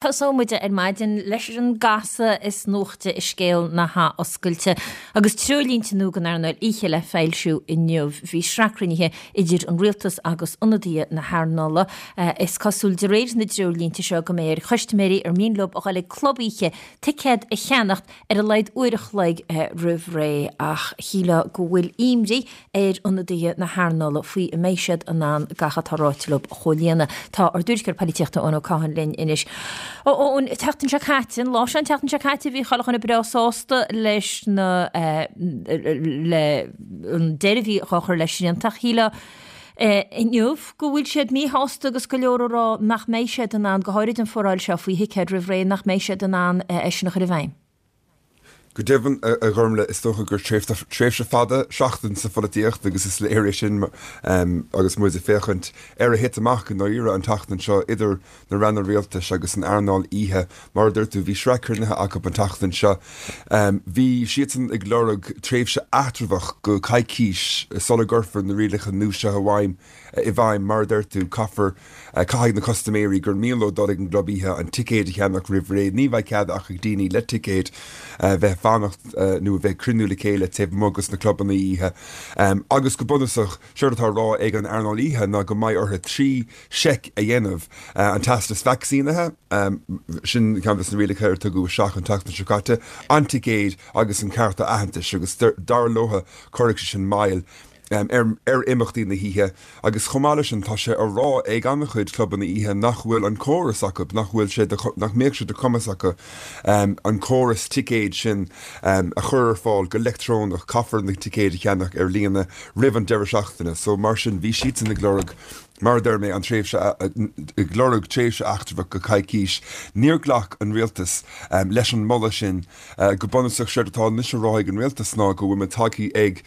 Tosóidh muid ar maidin leis an gcasadh is nuachta i scéal na hathoscailte agus treoirlínte nua don earnáil oíche le foilsiú inniu. Bhí sraith cruinnithe idir an rialtas agus ionadaithe na hearnála. Is cosúil de réir na dtreoirlínte seo go mbeidh ar chustaiméirí ar mian leo a dhul ag club oíche ticéad a cheannacht ar a laghad uair a chloig roimh ré ach shílfeá go bhfuil imní ar ionadaithe na hearnála faoi an mbeidh siad in ann gach atá ráite leo a chomhlíonadh. Tá ár dtuairisceoir polaitíochta Eoin Ó Catháin linn anois. Eoin, an tseachtain seo caite, an lá seo an tseachtain seo caite, bhí chuile dhuine breá sásta leis na le an deireadh a bhí á chur le srianta ach shílfeá inniu go bhfuil siad míshásta agus go leor ag rá nach mbeidh siad in ann, go háirid an foráil seo faoi thicéid roimh ré, nach mbeidh siad in ann é sin a chur i bhfeidhm. Go deimhin, a Ghormlaith, is dócha gur tréimhse fada seachtain sa pholaitíocht agus is léir é sin agus muid ag féachaint ar a thit amach i ndáiríre an tseachtain seo idir na ranna rialtais agus an earnáil oíche. Mar a dúirt tú, bhí sraith cruinnithe acu an tseachtain seo. Bhí siadsan ag lorg tréimhse eatramhach go coicís sula gcuirfear na rialacha nua seo i bhfeidhm. i bhfeidhm. Mar a deir tú, caithfear, caithfidh na custaiméirí gur mian leo dul ag an gclub oíche an ticéad a cheannach roimh ré. Ní bheidh cead ach ag daoine le ticéid bheith ag fanacht nó a bheith ag cruinniú le chéile taobh amuigh dos na clubanna oíche. Agus go bunúsach, séard atá á rá ag an earnáil oíche ná go mbeidh orthu 3 seic a dhéanamh, an teastas vacsaínithe, sin ceann des na rialacha ar tugadh isteach an tseachtain seo caite, an ticéad agus an cárta aitheantais agus dar leo cuirfidh sé sin moill ar imeachtaí na hoíche agus chomh maith leis sin tá sé á rá ag an-chuid clubanna oíche nach bhfuil an córas acu, nach bhfuil sé de, nach mbeadh sé de chumas acu an córas ticéid sin a chur ar fáil go leictreonach, caithfear na ticéid a cheannach ar líne roimh an deireadh seachtaine. So mar sin bhí siadsan ag lorg, mar a deir mé, an tréimhse, ag lorg tréimhse eatramhach go coicís. Níor ghlac an rialtas leis an moladh sin. Go bunúsach, séard atá anois á rá ag an rialtas ná go bhfuil muid tagtha ag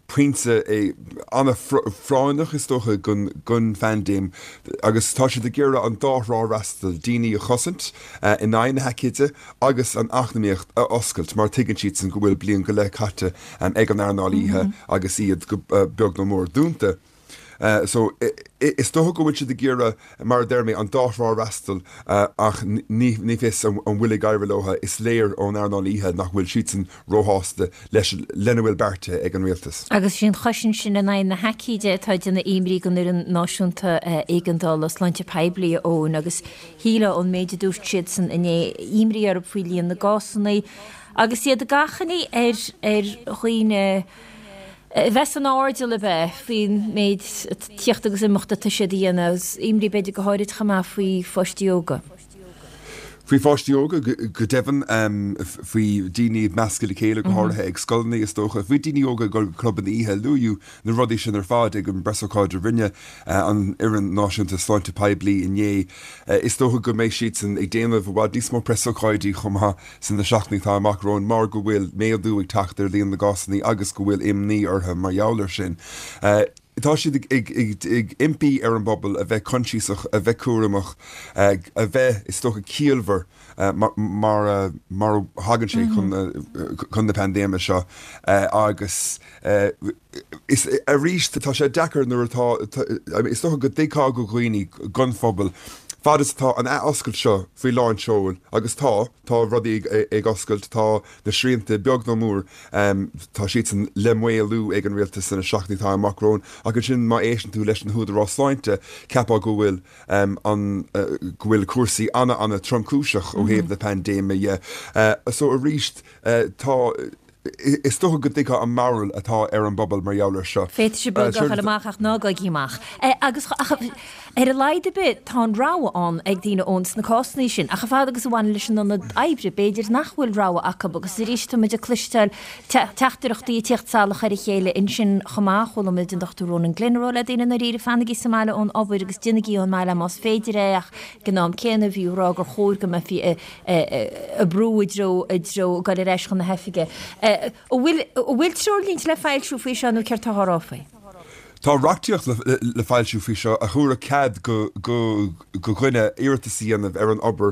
pointe an-phráinneach, is dócha, den phaindéim agus tá siad ag iarraidh an dá thrá a fhreastal, daoine a chosaint in aghaidh na haicíde agus an eacnamaíocht a oscailt mar tuigeann siadsan go bhfuil bliain go leith caite ag an earnáil oíche agus iad go beag nó mór dúnta. So, is dócha go bhfuil siad ag iarraidh, mar a deir mé, an dá thrá a fhreastal ach ní fios an bhfuil ag éirí leo. Is léir ón earnáil oíche nach bhfuil siadsan róshásta leis lena bhfuil beartaithe ag an rialtas. Agus is í an chosaint sin in aghaidh na haicíde atá ag déanamh imní don Fhoireann Náisiúnta Éigeandála Sláinte Poiblí, a Eoin, agus shílfeá ón méid a dúirt siadsan inné, imní orthu faoi líon na gcásanna agus iad ag achainí ar ar dhaoine a bheith san airdeall ab ea faoin méid tíocht agus imeacht atá siad a dhéanamh, agus imní b'fhéidir go háirid chomh maith faoi pháistí óga. Faoi pháistí óga, go deimhin, faoi daoine ag meascadh le chéile, go háirithe ag scoileanna is dócha, faoi daoine óga ag dul go clubanna oíche, luadh na rudaí sin ar fad ag an bpreasócáid a rinne an Fhoireann Náisiúnta Sláinte Poiblí inné. Is dócha go mbeidh siadsan ag déanamh i bhfad níos mó preasócáidí chomh maith. Sna seachtainí atá amach romhainn mar go bhfuil méadú ag teacht ar líon na gcásanna agus go bhfuil imní orthu mar gheall air sin. Tá siad ag impí ar an bpobal a bheith coinsiasach, a bheith cúramach, a bheith, is dócha, ciallmhar mar a thagann sé chun na paindéime seo agus is arís tá sé deacair nuair atá, is dócha go dtuigfeá do dhaoine, don phobal, fad is atá an ath-oscailt seo faoi lán seoil, agus tá, tá rudaí ag oscailt, tá na srianta beag nó mór, tá siadsan le maolú ag an rialtas sna seachtainí atá amach romhainn, ach ansin má éisteann tú leis na húdaráis sláinte, cheapfá go bhfuil an, go bhfuil cúrsaí ana-ana-tromchúiseach ó thaobh na paindéime dhe. So arís, tá. Is dócha go dtuigfeá an mbarúil atá ar an bpobal mar gheall air seo. Féadfaidh sibh beag a ghabháil amach ach ná gabhaigí amach. Agus ach ar a laghad ar bith tá an rogha ann ag daoine Eoin sna cásanna sin. Ach a fhad agus a bhaineann leis an ionad oibre, b'fhéidir nach bhfuil rogha acu agus arís tá muid ag cloisteáil teachtaireachtaí ag tíocht salach ar a chéile ansin chomh maith. Chuala muid an Dr Ronan Glynn ag rá le daoine i ndáiríre fanaigí sa mbaile ón obair agus déanaigí ón mbaile más féidir é ach ag an am céanna bhí ag rá gur chóir go mbeifí ag brú i dtreo, i dtreo ag dul ar ais chun na hoifige. An bhfuil, an bhfuil treoirlínte le foilsiú faoi seo nó céard tá á rá faoi? Tá reachtaíocht le foilsiú faoi seo a thabharfadh cead go dhuine iarratas a dhéanamh ar an obair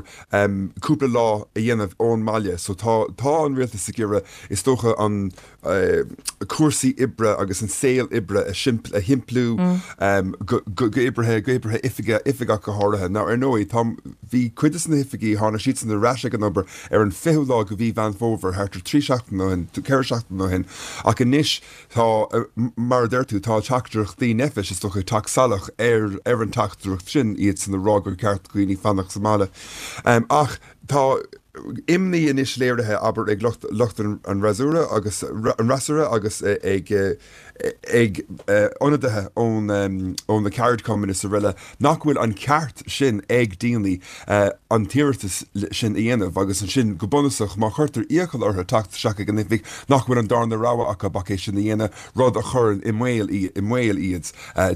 cúpla lá a dhéanamh ón mbaile. So tá tá an rialtas ag iarraidh, is dócha, an cúrsaí oibre agus an saol oibre a shimpliú go oibrithe, go oibrithe oifige, oifige ach go háirithe. Now ar ndóigh tá, bhí cuid de na hoifigí, tháinig siadsan ar ais ag an obair ar an 20ú lá de mhí Mheán Fómhair, thart ar 3 seachtaine ó shin, 4 seachtaine ó shin, ach anois, Tá, mar a deir tú, tá teachtaireachtaí NPHET, is dócha, ag teacht salach ar ar an teachtaireacht sin, iadsan ag rá gur ceart do dhaoine fanacht sa mbaile. Ach tá imní anois léirithe, abair, ag lucht lucht an fhreasúra agus an fhreasúra agus ag ag ionadaithe ón ó na ceardchumainn is araile nach bhfuil an ceart sin ag daoine an t-iarratas sin a dhéanamh agus ansin, go bunúsach, má chuirtear iachall orthu teacht isteach ag an oifig, nach bhfuil an darna rogha acu ach é sin a dhéanamh, rud a chuireann i mbaol i mbaol iad,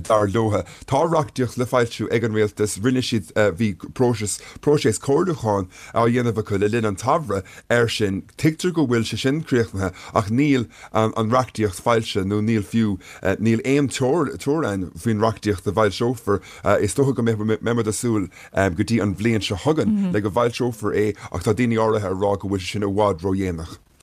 dar leo. Tá reachtaíocht le foilsiú ag an rialtas, rinne siad, bhí próiseas, próiseas comhairliúcháin á dhéanamh acu le linn an tsamhraidh air sin. Tuigtear go bhfuil sé sin críochnaithe ach níl an reachtaíocht foilsithe nó níl fiú, níl aon teorainn faoin reachtaíocht a bhfoilseofar. Is dócha go mbeidh muid ag súil go dtí an bhliain seo chugainn le go bhfoilseofar é ach tá daoine áirithe ag rá go bhfuil sé sin i bhfad ródhéanach.